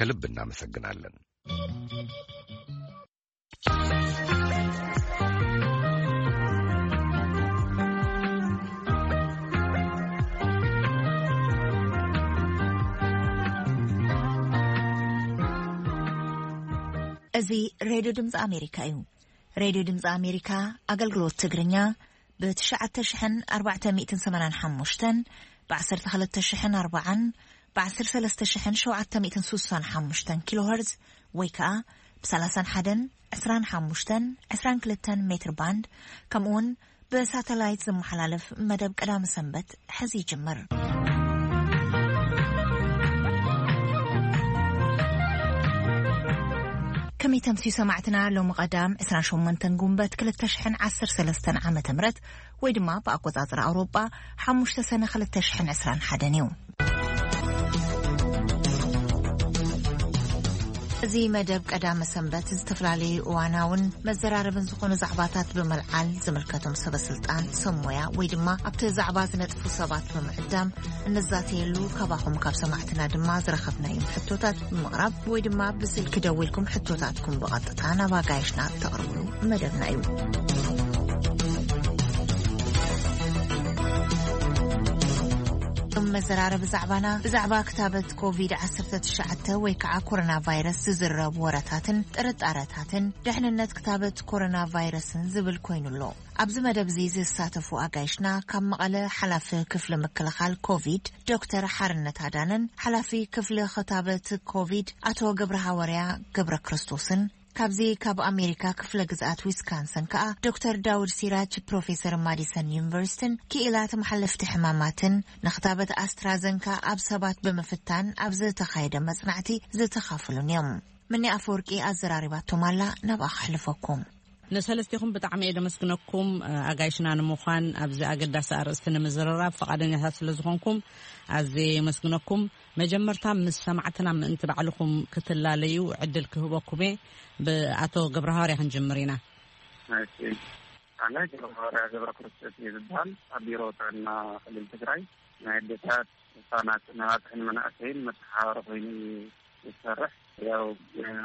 ከልብ እናመሰግናለን። እዚ ሬድዮ ድምፂ ኣሜሪካ እዩ። ሬድዮ ድምፂ ኣሜሪካ ኣገልግሎት ትግርኛ ብ ትሽዓተ ሽሕን ኣርባዕተ ሚእትን ሰማንያን ሓሙሽተን፣ ብ ዓሰርተ ክልተ ሽሕን ኣርባዓን፣ ብ ዓሰርተ ሰለስተ ሽሕን ሸውዓተ ሚእትን ስሳን ሓሙሽተን ኪሎ ሄርዝ ወይ ከኣ ብ ሰላሳን ሓደን፣ ዕስራን ሓሙሽተን፣ ዕስራን ክልተን ሜትር ባንድ፣ ከምኡውን ብሳተላይት ዝመሓላለፍ መደብ ቀዳመ ሰንበት ሕዚ ይጅምር። ከመይ ተምስዩ ሰማዕትና፣ ሎሚ ቀዳም ዕስራን ሸሞንተን ጉንበት ክልተ ሽሕን ዓሰርተ ሰለስተን ዓመተ ምህረት ወይ ድማ ብኣቆጻጽራ ኣውሮጳ ሓሙሽተ ሰነ ክልተ ሽሕን ዕስራን ሓደን እዩ። እዚ መደብ ቀዳመ ሰንበት ዝተፈላለዩ እዋናውን መዘራረብን ዝኾኑ ዛዕባታት ብምልዓል ዝምልከቶም ሰበ ስልጣን፣ ሰብ ሞያ ወይ ድማ ኣብቲ ዛዕባ ዝነጥፉ ሰባት ብምዕዳም እንዛተየሉ፣ ካባኹም ካብ ሰማዕትና ድማ ዝረኸብናዮም ሕቶታት ብምቕራብ ወይ ድማ ብስልኪ ደዊልኩም ሕቶታትኩም ብቐጥታ ናብ ኣጋይሽና እተቕርብሉ መደብና እዩ። መዘራረቢ ዛዕባና ብዛዕባ ክታበት ኮቪድ ዓሰርተ ትሽዓተ ወይ ከዓ ኮሮና ቫይረስ ዝዝረቡ ወረታትን ጥርጣረታትን ድሕንነት ክታበት ኮሮና ቫይረስን ዝብል ኮይኑ ኣሎ። ኣብዚ መደብ እዚ ዝሳተፉ ኣጋይሽና ካብ መቐለ ሓላፊ ክፍሊ ምክልኻል ኮቪድ ዶክተር ሓርነት ኣዳነን ሓላፊ ክፍሊ ክታበት ኮቪድ ኣቶ ገብረ ሃዋርያ ገብረ ክርስቶስን ካብዚ ካብ ኣሜሪካ ክፍለ ግዝኣት ዊስካንሰን ከኣ ዶክተር ዳውድ ሲራጅ ፕሮፌሰር ማዲሰን ዩኒቨርሲቲን ክኢላ ተመሓለፍቲ ሕማማትን ንክታበት ኣስትራዘንካ ኣብ ሰባት ብምፍታን ኣብ ዝተኻየደ መጽናዕቲ ዝተኻፈሉን እዮም። ምኒ ኣፈወርቂ ኣዘራሪባቶም ኣላ፣ ናብኣ ከሕልፈኩም። ንሰለስቲኹም ብጣዕሚ እየ ደመስግነኩም፣ ኣጋይሽና ንምዃን ኣብዚ ኣገዳሲ ኣርእስቲ ንምዝርራብ ፈቓደኛታት ስለ ዝኾንኩም ኣዝየ የመስግነኩም። መጀመርታ ምስ ሰማዕትና ምእንቲ ባዕልኹም ክትላለዩ ዕድል ክህበኩም እየ። ብኣቶ ገብረሃዋርያ ክንጅምር ኢና። እሺ፣ ኣነ ገብረሃዋርያ ገብረ ክርስቶስ እየ ዝበሃል። ኣብ ቢሮ ጥዕና ክልል ትግራይ ናይ ኣዴታት፣ ህፃናት፣ ነባፅሕን መናእሰይን መተሓባበሪ ኮይኑ እዩ ዝሰርሕ። ያው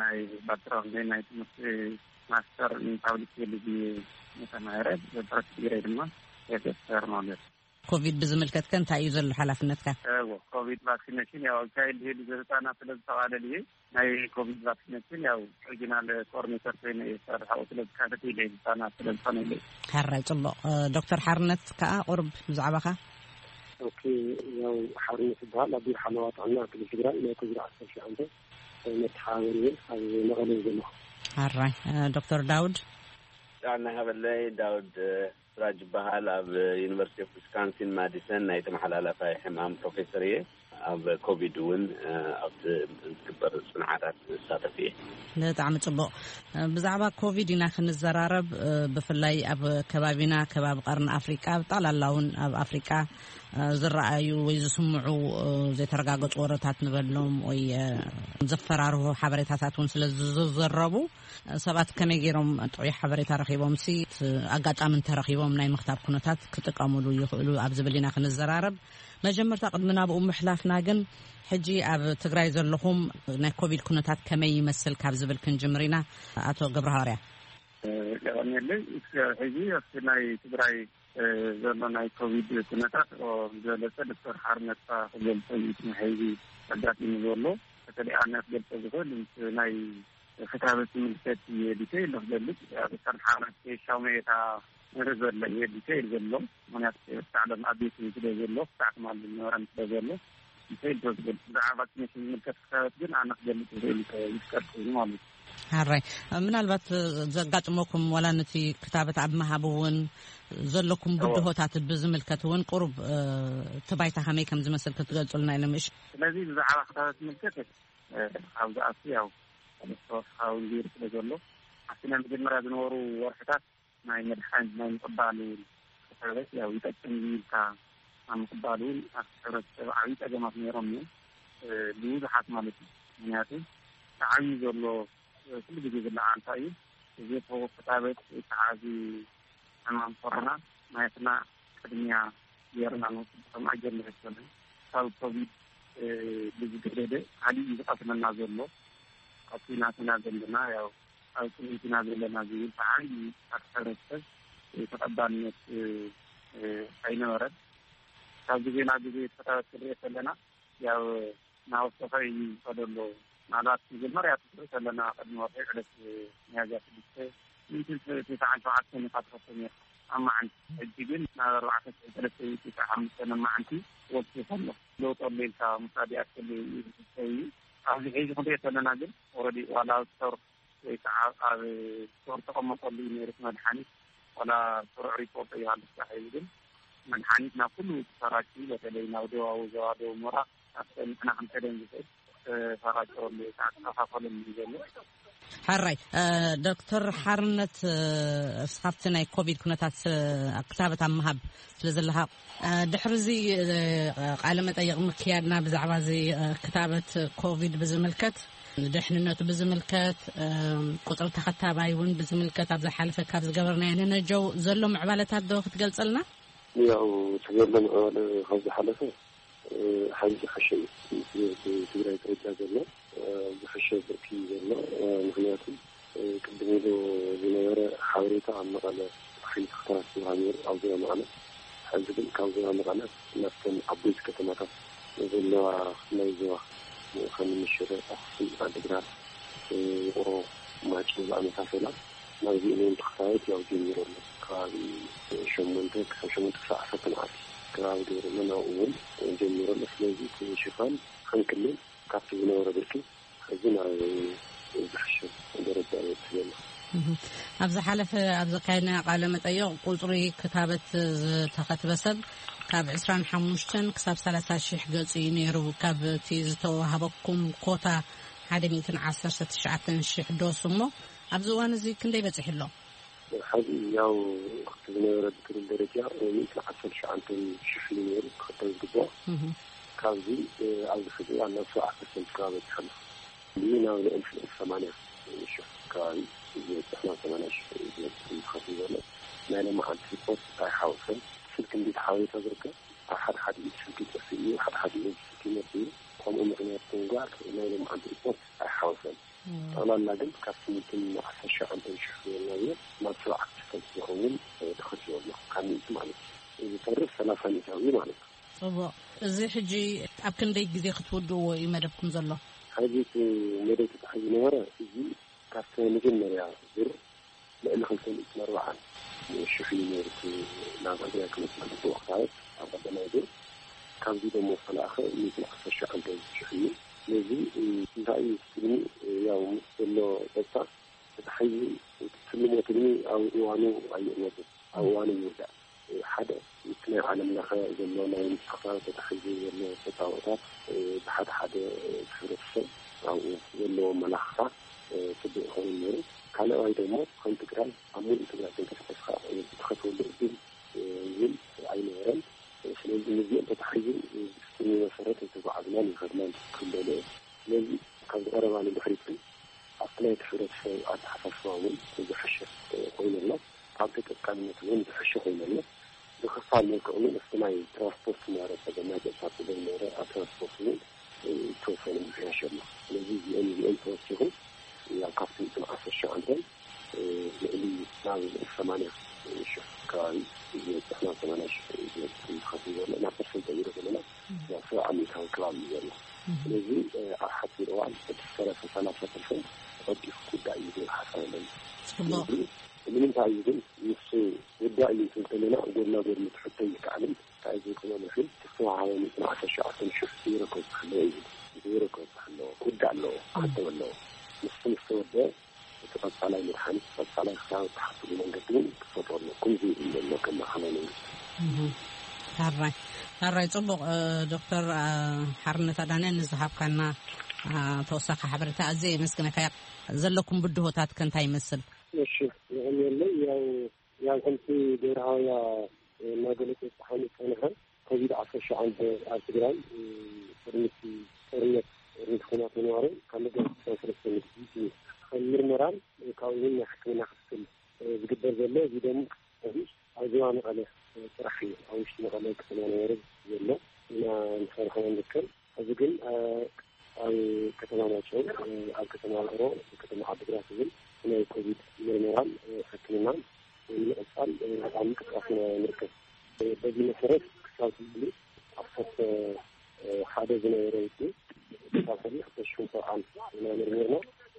ናይ ባክግራውንድ ናይ ትምህርቲ ማስተር ኢን ፓብሊክ ሄልዝ እዩ ተማሂረ። ብረት ትግራይ ድማ ኤፍኤስአር ማለት እዩ። ኮቪድ ብዝምልከት ከ እንታይ እዩ ዘሎ ሓላፍነትካ? እዎ፣ ኮቪድ ቫክሲኔሽን ያው ኣካይድ ሄልዝ ህፃናት ስለ ዝጠቓለል እዩ። ናይ ኮቪድ ቫክሲኔሽን ያው ሪጂናል ኮኦርዲኔተር ኮይነ እየ ዝሰርሕ። ኣብኡ ስለ ዝካተት ኢለ ህፃናት ስለ ዝኾነ ኢለ። ሕራይ፣ ጽቡቕ። እ፣ ዶክተር ሓርነት ከኣ ቁሩብ ብዛዕባኻ። ኦኬ፣ ያው ሓርነት ይበሃል። ኣብ ቢሮ ሓለዋ ጥዕና ክልል ትግራይ ናይ ኮቪድ ዓሰርተ ትሽዓተ መተሓባበሪ እየ ኣብ መቐለ ዘለኹ። ሕራይ፣ እ፣ ዶክተር ዳውድ። ጥዕና ሃበለይ፣ ዳውድ፣ እ፣ ስራጅ ይበሃል። ኣብ ዩኒቨርሲቲ ኦፍ ዊስካንሲን ማዲሰን ናይ ተመሓላላፋይ ሕማም ፕሮፌሰር እየ። ኣብ ኮቪድ እውን፣ እ፣ ኣብቲ ዝግበር ጽንዓታት ዝሳተፍ እየ። ብጣዕሚ ጽቡቕ። ብዛዕባ ኮቪድ ኢና ክንዘራረብ። ብፍላይ ኣብ ከባቢና፣ ከባቢ ቀርኒ ኣፍሪቃ፣ ብጠቕላላ እውን ኣብ ኣፍሪቃ ዝረኣዩ ወይ ዝስምዑ ዘይተረጋገጹ ወረታት ንበሎም ወይ ዘፈራርሁ ሓበሬታታት እውን ስለ ዝዝረቡ፣ ሰባት ከመይ ገይሮም ጥዑይ ሓበሬታ ረኺቦም ሲ ኣጋጣሚ እንተረኺቦም ናይ ምኽታብ ኩነታት ክጥቀሙሉ ይኽእሉ ኣብ ዝብል ኢና ክንዘራረብ። መጀመርታ ቅድሚ ናብኡ ምሕላፍና ግን ሕጂ ኣብ ትግራይ ዘለኹም ናይ ኮቪድ ኩነታት ከመይ ይመስል ካብ ዝብል ክንጅምር ኢና። ኣቶ ገብረሃዋርያ። የቐንየለይ። እስከ ሕጂ ኣብቲ ናይ ትግራይ ዘሎ ናይ ኮቪድ ኩነታት ዝበለጸ ዶክተር ሓርነትካ ክገልጾ እዩ። እቲ ናይ ሕጂ ኣጋጢሙ ዘሎ በተለይ ኣነ ክገልጾ ዝኽእል ምስ ናይ ክታበት ዝምልከት እየ ዲቴይል ክገልጽ። ዶክተር ሓርነት ሻውመ እታ ንርኢ ዘሎ እየ ዲቴይል ዘሎ። ምክንያቱ ክሳዕ ሎም ኣብ ቤት ስለ ዘሎ ክሳዕ ትማሊ ዝነበረን ስለ ዘሎ ዲቴይል ዶ ዝገልጽ። ብዛዕባ ቫክሲኔሽን ዝምልከት ክታበት ግን ኣነ ክገልጽ ዝኽእል ይፍቀድ ኮይኑ ማለት እዩ። ሓራይ። ምናልባት ዘጋጥመኩም ዋላ ነቲ ክታበት ኣብ ምሃብ እውን ዘለኩም እዎ። ብድሆታት ብዝምልከት እውን ቁሩብ፣ እ፣ እቲ ባይታ ከመይ ከም ዝመስል ክትገልጹልና ኢለ ምሽ። ስለዚ ብዛዕባ ክታበት ዝምልከት፣ እ፣ ካብ ዝኣቱ ያው ተወሳኺ እውን ገይሩ ስለ ዘሎ ኣብቲ ናይ መጀመርያ ዝነበሩ ወርሕታት ናይ መድሓኒት ናይ ምቕባል ክታበት ያው ይጠቅም እዩ ኢልካ ኣብ ምቕባል እውን ኣብቲ ሕብረተሰብ ዓብዪ ጸገማት ነይሮም እዮም። እ፣ ብብዙሓት ማለት እዩ። ምክንያቱ እቲ ዓብዪ ዘሎ፣ እ፣ ኩሉ ግዜ ዝለዓል እንታይ እዩ? እዚ ክታበት ወይ ከዓ እዚ ሕማም ኮሮና ናትና ቅድሚያ ጌርና ንወስድ ከም ኣጀንዳ ኣይኮነን። ካብ ኮቪድ ብዝገደደ ካሊእ እዩ ዝቐትለና ዘሎ። ኣብ ኩናት ኢና ዘለና፣ ያው ኣብ ጽልኢት ኢና ዘለና ዝብል ብዓብዪ ኣብ ሕብረተሰብ ተቐባልነት ኣይነበረን። ካብ ግዜ ናብ ግዜ ተኸታተል ከለና ያው ናወሰኸ እዩ ዝኸደሎ። ምናልባት መጀመርያ ትርኢ ከለና ቅድሚ ወርሒ ዕለት ሚያዝያ ሽዱሽተ ሚእትን ትስዓን ሸውዓተን ኢኻ ትኸፍቶ ነይርካ ኣብ መዓልቲ። ሕጂ ግን ናብ ኣርባዕተ ሽሕን ሰለስተ ሚእትን ትስዓን ሓሙሽተን ኣብ መዓልቲ ወሲኹ ኣሎ። ለውጢ ኣሎ ኢልካ ምውሳድ ይኣክል እዩ። ኣብዚ ሕጂ ክንሪኦ ከለና ግን ኦረዲ ዋላ ኣብ ስቶር ወይ ከዓ ኣብ ስቶር ተቐመጠሉ እዩ ነይሩ እቲ መድሓኒት። ዋላ ስሩዕ ሪፖርት እዩ ሃልካ ሕዚ ግን መድሓኒት ናብ ኩሉ ተሰራጭ፣ በተለይ ናብ ደቡባዊ ዞባ ደቡብ ምብራቕ ኣብተን ንሕና ክንከደን ዝኽእል ተሰራጭረሉ ወይ ከዓ ተኸፋፈለሉ እዩ ዘሎ። ሕራይ ዶክተር ሓርነት፣ እስኻብቲ ናይ ኮቪድ ኩነታት ክታበት ኣብ ምሃብ ስለ ዘለኻ፣ ድሕሪ እዚ ቃለ መጠይቕ ምክያድና ብዛዕባ እዚ ክታበት ኮቪድ ብዝምልከት፣ ንድሕንነቱ ብዝምልከት፣ ቁፅሪ ተኸታባይ እውን ብዝምልከት ኣብ ዝሓለፈ ካብ ዝገበርናዮ ንነጀው ዘሎ ምዕባለታት ዶ ክትገልፀልና? ያው እቲ ዘሎ ምዕባለ ካብ ዝሓለፈ ሓይሊ ዝሓሸ እዩ። እቲ ትግራይ ደረጃ ዘሎ ዝሓሸ ብርኪ ዘሎ፣ ምክንያቱ ቅድም ኢሉ ዝነበረ ሓበሬታ ኣብ መቐለ ሓይሊ ክፍታት ዝሃብ ነይሩ ኣብ ዞባ መቐለ። ሕዚ ግን ካብ ዞባ መቐለ ናብተን ዓበይቲ ከተማታት ዘለዋ ናይ ዞባ ከም ሽረ፣ ኣክሱም፣ ዓዲግራት፣ ውቕሮ፣ ማይጨው ዝኣመሳሰላ ናብዚኦም እውን ተኸታተልቲ ያው ጀሚሩ ኣሎ። ከባቢ ሸሞንተ ክሳብ ሸሞንተ ክሳብ ዓሰርተ መዓልቲ ከባቢ ገይሩ ኣሎ። ናብኡ እውን ጀሚሩ ኣሎ። ስለዚ እቲ ሽፋን ከም ክልል ካብቲ ዝነበረ ብርኪ ሕዚ ናብ ዝሕሸ ደረጃ ይበፅሕ ዘሎ። ኣብ ዝሓለፈ ኣብ ዘካየድና ቃለ መጠይቕ ቁፅሪ ክታበት ዝተኸትበ ሰብ ካብ ዕስራን ሓሙሽተን ክሳብ ሰላሳ ሽሕ ገፁ እዩ ነይሩ። ካብ እቲ ዝተዋህበኩም ኮታ ሓደ ሚእትን ዓሰርተ ትሽዓተን ሽሕ ዶስ እሞ ኣብዚ እዋን እዚ ክንደይ በፂሑ ኣሎ? ሕዚ ያው እቲ ዝነበረ ብክልል ደረጃ ሚእትን ዓሰርተ ትሽዓተን ሽሕ እዩ ነይሩ ክኽተብ ዝግብኦ። ካብዚ ኣብዚ ሕዚ እዋን ናብ ሰብዓ ፐርሰንት ከባቢ በፂሑ ኣሎ። እዚ ናብ ልዕሊ ሰማንያ ሽሕ ከባቢ እዩ ዝበፅሕ፣ ናብ ሰማንያ ሽሕ እዩ ዝበፅሕ እዩ ዝኸፍል ዘሎ። ናይ ሎማዓንቲ ሪፖርት ኣይሓወሰን። ስልክ እንዴት ሓበሬታ ዝርከብ ኣብ ሓደ ሓደ ኢድ ስልኪ ይጠፍእ እዩ፣ ሓደ ሓደ ኢድ ስልኪ ይመጽእ እዩ። ከምኡ ምኽንያት ብምግባር ናይ ሎማዓንቲ ሪፖርት ኣይሓወሰን። ጠቕላላ ግን ካብ ስምንትን ዓሰርተ ሸዓንተን ሽሕ ዝበልናዮ ናብ ሰብዓ ፐርሰንት ዝኸውን ተኸቲቡ ኣሎ፣ ካብ ሚእቲ ማለት እዩ። እዚ ተርፍ ሰላሳ ሚእታዊ ማለት እዩ። ጽቡቕ። እዚ ሕጂ ኣብ ክንደይ ግዜ ክትውድእዎ እዩ መደብኩም ዘሎ? ሕዚ እቲ መደብ ተታሒዙ ዝነበረ እዚ ካብቲ ናይ መጀመርያ ዙር ልዕሊ ክልተ ሚእትን ኣርባዓን ሽሕ እዩ ነይሩ እቲ ናብ ትግራይ ክመጽእ ዝግብኦ ክታበት ኣብ ቀዳማይ ዙር። ካብዚ ደሞ ዝተለኣኸ ሚእትን ዓሰርተ ሸዓንተ ሽሕ እዩ። ስለዚ እንታይ እዩ ትልሚ? ያው ምስ ዘሎ ጸጥታ ተታሒዙ ትልሞ ትልሚ ኣብ እዋኑ ኣይእወትን፣ ኣብ እዋኑ ይውዳእ። ሓደ እቲ ናይ ዓለም ለኸ ዘሎ ናይ ንጥፈታት ተታሒዙ ዘሎ ተጻብኦታት፣ ብሓደ ሓደ እቲ ሕብረተሰብ ኣብኡ ዘለዎ መላኽታ ጽቡቕ ይኸውን ነይሩ። ካልኣይ ደሞ ከም ትግራይ ኣብ ሙሉእ ትግራይ ተንቀሳቒስካ እትኸፍለሉ እድል እውን ኣይነበረን። ስለዚ ነዚኦም ተታሒዙ ብስኒ መሰረት ኣይተጓዓዝናን ይኸድናን ክብለሉ እየ። ስለዚ ካብዚ ቀረባ ንድሕሪት ግን ኣብቲ ናይቲ ሕብረተሰብ ኣተሓሳስባ እውን ዝሐሸ ኮይኑ ኣሎ። ኣብ ተጠቃምነት እውን ዝሐሸ ኮይኑ ኣሎ። ብክፋል መልክዕ እውን እስቲ ናይ ትራንስፖርት ዝነበረ ፀገም፣ ናይ ጸጥታ ፀገም ነበረ። ኣብ ትራንስፖርት እውን ዝተወሰነ ምሕያሽ ኣሎ። ስለዚ እዚኦም እዚኦም ተወሲኹ ያው ካብቲ ሚእትን ዓሰርተ ሸዓንተን ልዕሊ ናብ ሰማንያ ሽሕ ከባቢ እዩ ዝበፅሕ፣ ናብ ሰማንያ ሽሕ እዩ ዝበፅሕ እዩ ዝኸፍል ዘሎ። ናብ ፐርሰንት ቀይሮ ዘለና ናብ ሰብዓ ሚእታዊ ከባቢ እዩ ዘሎ። ስለዚ ኣብ ሓፂር እዋን እቲ ሰላሳ ሰላሳ ፐርሰንት ተቐዲሑ ክውዳእ እዩ ዝብል ሓሳብ ኣለኒ። ጽቡቕ። ስለዚ ንምንታይ እዩ ግን ንሱ ውዳእ እዩ እንትብል ከለና ጎድና ጎድኒ ትሕቶ ይከኣልን እንታይ ዘይኮነ ምሕን ዝተዋሃበ ሚእትን ዓሰርተ ሸዓተን ሽሕ ዜሮ ከብፅሕ ኣለዎ እዩ። ዜሮ ከብፅሕ ኣለዎ፣ ክውዳእ ኣለዎ፣ ክኸተም ኣለዎ። ንሱ ምስ ተወደአ እቲ ቀፃላይ መድሓኒት፣ ቀፃላይ ክታበት ትሓስቡ መንገዲ እውን ክፈጥሩ ኣለኩም ዝብል ዘሎ ከም ማእኸላይ መንግስቲ። እህ፣ ሕራይ፣ ሕራይ፣ ጽቡቕ። እ፣ ዶክተር፣ እ፣ ሓርነት ኣዳነ ንዝሃብካና፣ እ፣ ተወሳኺ ሓበሬታ ኣዝየ የመስግነካ። ዘለኩም ብድሆታት ከ እንታይ ይመስል? እሺ፣ የቐንየለይ። ያው፣ ያው ከምቲ ገብረ ሃዋያ፣ እ፣ እናገለጸ ዝፀሓኑ ዝፀንሐ ኮቪድ ዓሰርተ ሸዓተ ኣብ ትግራይ፣ እ፣ ቅድሚ እቲ ጦርነት፣ ቅድሚ እቲ ኩናት ምንባሩ ካብ መጋቢት ዕስራን ሰለስተን ንግዲ ከም ምርመራን፣ እ፣ ካብኡ እውን ናይ ሕክምና ክትትል፣ እ፣ ዝግበር ዘሎ። እዚ ደሞ ኣብዚ ኣብ ዞባ መቐለ፣ እ፣ ጥራሕ እዩ። ኣብ ውሽጢ መቐለ ከተማ ነበረ ዘሎ ኢና ንሰርሖ ንርከብ። እዚ ግን ኣብ ከተማ ማይጨው፣ ኣብ ከተማ ውቕሮ፣ ከተማ ዓዲግራት እውን ናይ ኮቪድ ምርመራን ሕክምናን ንምቕፃል ብጣዕሚ ምንቅስቃስ ኢና ንርከብ። በዚ መሰረት ክሳብ ሕዚ ዓሰርተ ሓደ ዝነበረ ውፅኢት ክሳብ ሕዚ ክልተ ሽሕን ሰብዓን ኢና መርሚርና።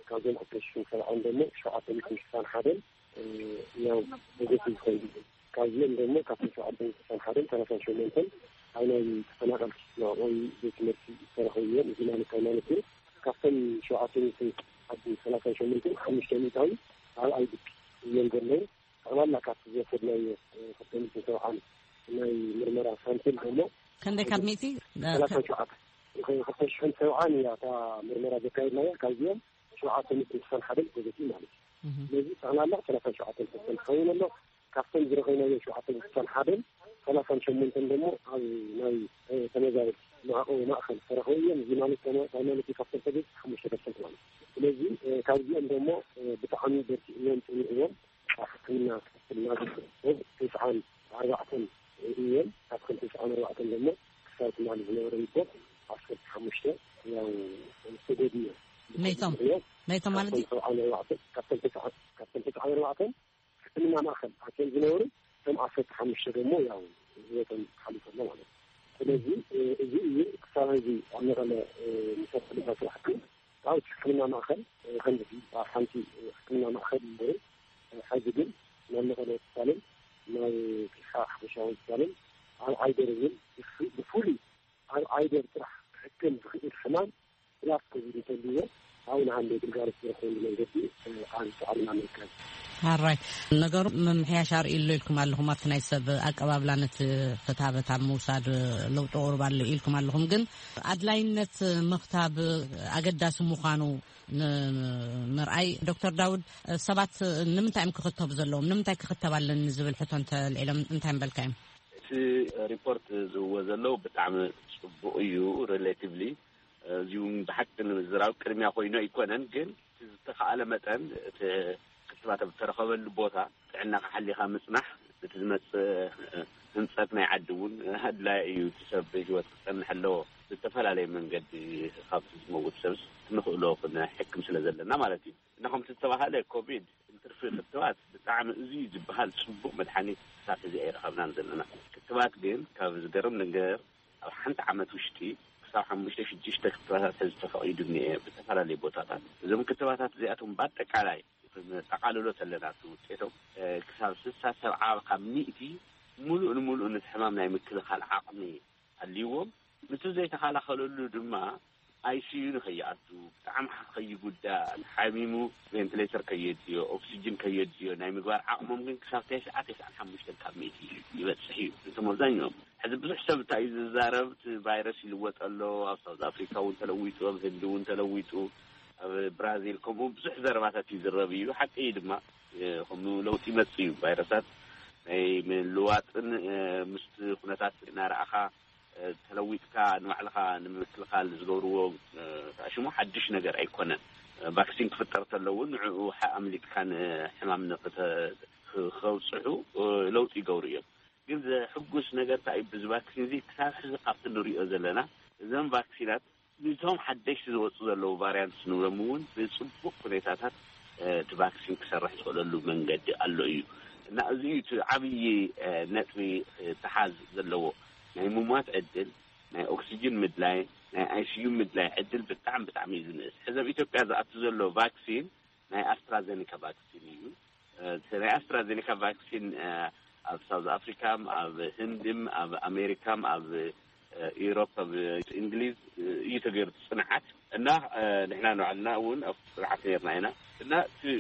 ካብዞም ክልተ ሽሕን ሰብዓን ደሞ ሸውዓተ ሚእትን ሽሳን ሓደን ያው ፖዘቲቭ ኮይኑ ካብዚኦም ደሞ ካብቶም ሸውዓተ ሚእትን ሽሳን ሓደን ሰላሳን ሸሞንተን ኣብ ናይ ተፈናቐልቲ መዕቆቢ ቤት ትምህርቲ ዝተረኸቡ እዮም። እዚ ማለት እንታይ ማለት እዩ? ካብቶም ሸውዓተ ሚእትን ሰላሳን ሸሞንተን ሓሙሽተ ሚእታዊ ኣብ ኣይዲፒ እዮም ዘለዉ። ጠቕላላ ካብቲ ዝወሰድናዮ ክልተ ሚእትን ሰብዓን ናይ ምርመራ ሳምፕል ደሞ ክንደይ ካብ ሚእቲ ሰላሳን ሸውዓተ ክልተ ሽሕን ሰብዓን እያ እታ ምርመራ ዘካየድናያ። ካብዚኦም ሸውዓተ ሚእትን ስሳን ሓደን ፖዘቲቭ ማለት እዩ። ስለዚ ጠቕላላ ሰላሳን ሸውዓተን ፐርሰንት ክኸውን ኣሎ። ካብቶም ዝረኸብናዮ ሸውዓተ ሚእትን ስሳን ሓደን ሰላሳን ሸሞንተን ደሞ ኣብ ናይ ተመዛበልቲ መዕቆቢ ማእኸል ዝተረኸቡ እዮም። እዚ ማለት ከ-፣ እንታይ ማለት እዩ? ካብቶም ፖዘቲቭ ሓሙሽተ ፐርሰንት ማለት እዩ። ስለዚ ካብዚኦም ደሞ ብጣዕሚ በርቲዕዎም፣ ፅኒዕዎም ኣብ ሕክምና ክፍል እናገበሩ ተስዓን ኣርባዕተን እዮም። ካብቶም ተስዓን ኣርባዕተን ደሞ ክሳብ ትማሊ ዝነበረ ሪፖርት ዓሰርተ ሓሙሽተ ያው ተጎድኡ እዮም። መይቶም? ምኽንያት መይቶም ማለት ካብቶም እዩ? ሰብዓን ኣርባዕተን፣ ካብቶም ተስዓን፣ ካብቶም ተስዓን ኣርባዕተን ሕክምና ማእኸል ኣትዮም ዝነበሩ እቶም ዓሰርተ ሓሙሽተ ደሞ ያው ህይወቶም ሓሊፉ ኣሎ ማለት እዩ። ስለዚ እዚ እዩ ክሳብ ሕዚ ኣብ መቐለ ንሰራሕ ድማ ስራሕ ግን ኣብ ሕክምና ማእኸል ከምዚ ኣብ ሓንቲ ሕክምና ማእኸል ይነበሩ። ሕዚ ግን ናብ መቐለ ሆስፒታልን ናብ ፊሓ ሓፈሻዊ ሆስፒታልን ኣብ ዓይደር እውን ብፍ-፣ ብፍሉይ ኣብ ዓይደር ጥራሕ ክሕከም ዝኽእል ሕማም ብላስ ኮቪድ እንተልዎ ኣብኡ ንሃንደ ግልጋሎት ዝረኽበሉ መንገዲ ኣብ ጻዕርና ምርካብ። ኣራይ ነገሩ ምምሕያሽ ኣርእዩ ኣሎ ኢልኩም ኣለኹም። ኣብቲ ናይ ሰብ ኣቀባብላ ነቲ ክታበት ኣብ ምውሳድ ለውጢ ቁሩብ ኣሎ ኢልኩም ኣለኹም። ግን ኣድላይነት ምኽታብ ኣገዳሲ ምዃኑ ንምርኣይ ዶክተር ዳውድ ሰባት ንምንታይ እዮም ክኽተቡ ዘለዎም? ንምንታይ ክኽተብ ኣለኒ ዝብል ሕቶ እንተልዒሎም እንታይ ምበልካ እዮም? እቲ ሪፖርት ዝህዎ ዘለዉ ብጣዕሚ ጽቡቕ እዩ። ሪሌቲቭሊ እዚ እውን ብሓቂ ንምዝራብ ቅድሚያ ኮይኑ ኣይኮነን፣ ግን እቲ ዝተኻእለ መጠን እቲ ክትባት ኣብ ዝተረኸበሉ ቦታ ጥዕናኻ ሓሊኻ ምጽናሕ፣ እቲ ዝመጽእ ህንጸት ናይ ዓዲ እውን ኣድላዪ እዩ። እቲ ሰብ ብህይወት ክጸንሕ ኣለዎ። ብዝተፈላለየ መንገዲ ካብቲ ዝመውት ሰብስ ንኽእሎ ክንሕክም ስለ ዘለና ማለት እዩ። እና ከምቲ ዝተባሃለ ኮቪድ እንትርፊ ክትባት ብጣዕሚ እዚ ዝበሃል ጽቡቕ መድሓኒት ክሳብ ሕዚ ኣይረኸብናን ዘለና። ክትባት ግን ካብ ዝገርም ነገር ኣብ ሓንቲ ዓመት ውሽጢ ክሳብ ሓሙሽተ ሽዱሽተ ክትባታት ሕዚ ተፈቒዱ እኒኤ ብዝተፈላለዩ ቦታታት። እዞም ክትባታት እዚኣቶም በኣጠቃላይ ጠቓልሎ ተለና እቲ ውጤቶም ክሳብ ስሳ ሰብዓ ካብ ሚእቲ ሙሉእ ንሙሉእ ነቲ ሕማም ናይ ምክልኻል ዓቕሚ ኣልዎም። ነቲ ዘይተኸላኸለሉ ድማ ኣይሲዩ ንኸይኣቱ፣ ብጣዕሚ ከይጉዳእ፣ ሓሚሙ ቬንትሌተር ከየድልዮ፣ ኦክሲጅን ከየድልዮ ናይ ምግባር ዓቕሞም ግን ክሳብ ተስዓ፣ ተስዓን ሓሙሽተን ካብ ሚእቲ ይበጽሕ እዩ። እቶም ኣብዛኛኦም ሕዚ ብዙሕ ሰብ እንታይ እዩ ዝዛረብ? እቲ ቫይረስ ይልወጥ ኣሎ፣ ኣብ ሳውዝ ኣፍሪካ እውን ተለዊጡ፣ ኣብ ህንዲ እውን ተለዊጡ፣ ኣብ ብራዚል ከምኡ ብዙሕ ዘረባታት ይዝረብ እዩ። ሓቂ እዩ ድማ ከምኡ ለውጢ ይመጽእ እዩ። ቫይረሳት ናይ ምልዋጥን ምስቲ ኩነታት እናረኣኻ ተለዊጥካ ንባዕልኻ ንምክልኻል ዝገብርዎ ተኣሽሙ ሓድሽ ነገር ኣይኮነን። ቫክሲን ክፍጠር ተለውን ንዕኡ ኣምሊጥካ ንሕማም ንክተ-፣ ከብፅሑ ለውጢ ይገብሩ እዮም። ግን ዘሕጉስ ነገር እንታይ እዩ? ብዚ ቫክሲን እዚ ክሳብ ሕዚ ካብቲ ንሪኦ ዘለና እዘን ቫክሲናት ንቶም ሓደሽቲ ዝወፁ ዘለዉ ቫሪያንትስ ንብሎም እውን ብፅቡቅ ሁኔታታት እቲ ቫክሲን ክሰርሕ ዝኽእለሉ መንገዲ ኣሎ እዩ። እና እዚ እዩ እቲ ዓብዪ ነጥቢ ተሓዝ ዘለዎ። ናይ ምሟት ዕድል፣ ናይ ኦክሲጅን ምድላይ፣ ናይ ኣይሲዩ ምድላይ ዕድል ብጣዕሚ ብጣዕሚ እዩ ዝንእስ። ሕዚ ኣብ ኢትዮጵያ ዝኣቱ ዘሎ ቫክሲን ናይ ኣስትራዘኒካ ቫክሲን እዩ። እቲ ናይ ኣስትራዘኒካ ቫክሲን ኣብ ሳውዝ ኣፍሪካም ኣብ ህንድም ኣብ ኣሜሪካም ኣብ ኢሮፕ ኣብ እንግሊዝ እዩ ተገይሩ እቲ ፅንዓት። እና ንሕና ንባዕልና እውን ኣብ ፅንዓት ነርና ኢና። እና